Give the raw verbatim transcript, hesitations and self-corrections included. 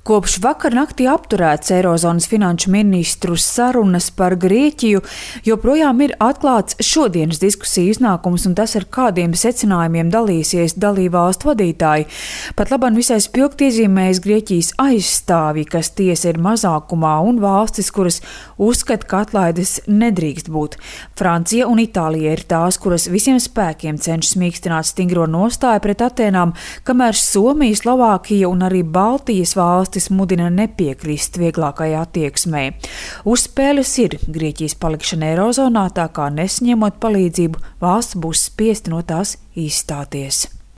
Kopš vakar naktī apturēts Eirozonas finanšu ministru sarunas par Grieķiju, joprojām ir atklāts šodienas diskusiju iznākums, un tas ar kādiem secinājumiem dalīsies dalībvalstu vadītāji. Pat labāk visai spilgti iezīmējas Grieķijas aizstāvji, kas tiesa ir mazākumā, un valstis, kuras uzskata, ka atlaides nedrīkst būt. Francija un Itālija ir tās, kuras visiem spēkiem cenšas mīkstināt stingro nostāju pret Atēnām, kamēr Somija, Slovākija un arī Baltijas valstis mudina nepiekrist vieglākai attieksmei. Uz spēles ir Grieķijas palikšana Eirozonā, tā kā nesaņemot palīdzību, valsts būs spiesta no tās izstāties.